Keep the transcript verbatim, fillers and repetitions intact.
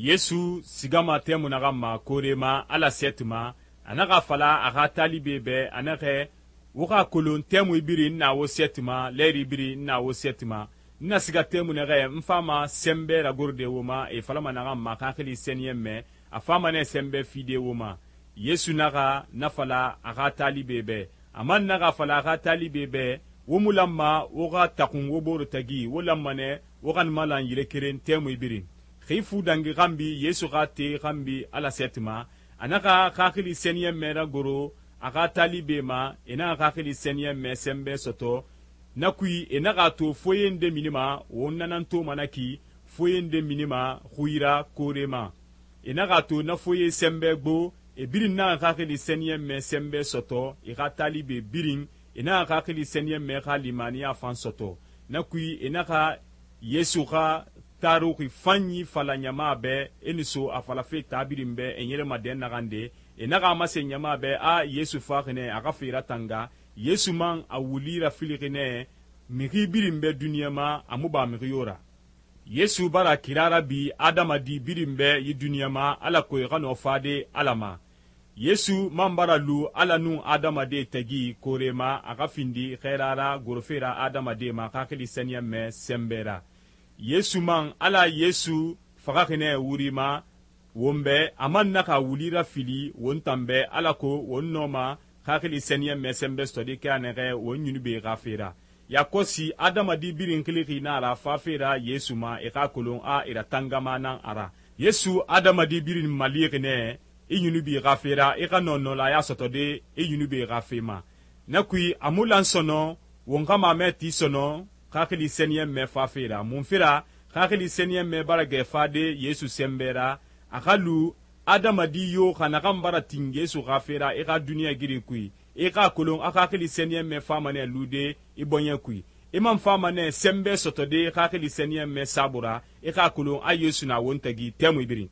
Yesu sigama tɛmui naxan ma koore ma Ala sɛɛti ma, a naxa fala a xa talibe bɛ a naxɛ, wo xa kolon tɛmui birin n na wo sɛɛti ma, lɛɛri birin n na wo sɛɛti ma, n na siga tɛmui naxɛ n fama sɛnbɛ ragorode wo ma, e falama naxan ma xaxili sɛniyɛnmɛ, a fama nɛ sɛnbɛ fide wo ma. Yesu naxa na fala a xa talibe bɛ, a man naxa fala a xa talibe bɛ, wo mu lanma wo xa taxun wo boro tagi, wo lanma nɛ wo xa malan yire keren tɛmui birin. Xi fu dangi xanbi Yesu xa te xanbi Ala sɛɛti ma, a naxa xaxili sɛniyɛnmɛ ragoro a xa talibe ma, e naxa xaxili sɛniyɛnmɛ sɛnbɛ sɔtɔ, na kui e naxa to foye nde minima won nanantoma na ki, foye nde minima xui ra koore ma. E naxa to na foye sɛnbɛ gbo, e birin naxa xaxili sɛniyɛnmɛ sɛnbɛ sɔtɔ, e xa talibe birin e naxa xaxili sɛniyɛnmɛ xa limaniya fan sɔtɔ. Na kui e naxa Yesu xa taruxi fanyi fala ɲama bɛ, e nu so a falafe tabirin bɛ e ɲɛrɛma dɛn naxan de, e naxa masen ɲama bɛ a Yesu faxi nɛ a xa fe ratanga, Yesu man a wuli rafilixi nɛ, mixi birin bɛ duniɲa ma a mu ba mixi yo ra. Yesu bara kira rabi adamadi birin bɛ yi duniɲa ma alako e xa nɔ fade Ala ma. Yesu man bara lu Ala nun adamade tagi koore ma a xa findi xɛra ra gorofe ra adamade ma xaxili sɛniyɛnmɛ sɛnbɛ ra. Yesu man Ala Yesu faxaxi nɛ wuri ma won bɛ, a man naxa wuli rafili won tan bɛ alako won nɔma xaxili sɛniyɛnmɛ sɛnbɛ sɔtɔde kɛ a nɛxɛ won ɲunube xa fe ra. Yakosi adamadi birin xilixi na ra fafe ra Yesu ma e xa kolon a e ratangama nan a ra. Yesu adamadi birin malixi nɛ i ɲunubi xa fe ra i xa nɔnɔlaya sɔtɔde i ɲunube xa fe ma. Na kui a mu lan sɔnɔ won xa mamɛ ti sɔnɔ xaxili sɛniyɛnmɛ fafe ra. Mun fera xaxili sɛniyɛnmɛ bara gɛ fade Yesu sɛnbɛ ra, a xa lu adamadi yo xa naxan bara tin Yesu xa fe ra i xa duniɲa giri kui, i xa kolon a xaxili sɛniyɛnmɛ fama nɛ lude i bɔɲɛ kui. I man fama nɛ sɛnbɛ sɔtɔde xaxili sɛniyɛnmɛ saabura, i xa kolon a Yesu na won tagi tɛmui birin.